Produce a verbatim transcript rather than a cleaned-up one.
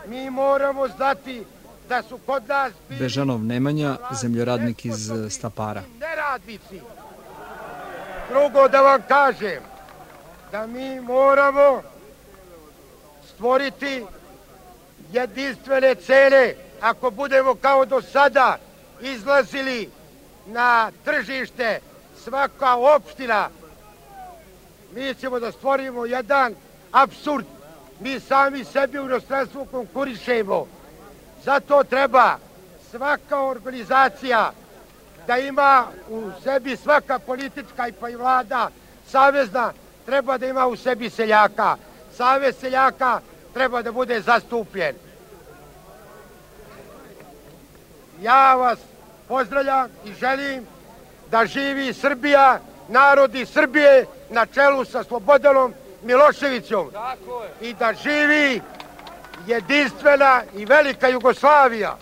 Mi moramo znati da su kod nas Bežanov Nemanja, zemljoradnik iz Stapara. Neradnici. Drugo da vam kažem, da mi moramo stvoriti jedinstvene cene. Ako budemo kao do sada izlazili na tržište, svaka opština, mi ćemo da stvorimo jedan apsurd. Mi sami sebi u inostranstvu konkurišemo. Zato treba svaka organizacija da ima u sebi, svaka politička i pa i vlada savezna treba da ima u sebi seljaka. Savez seljaka treba da bude zastupljen. Ja vas pozdravljam i želim da živi Srbija, narodi Srbije na čelu sa Slobodanom Miloševićem i da živi jedinstvena i velika Jugoslavija.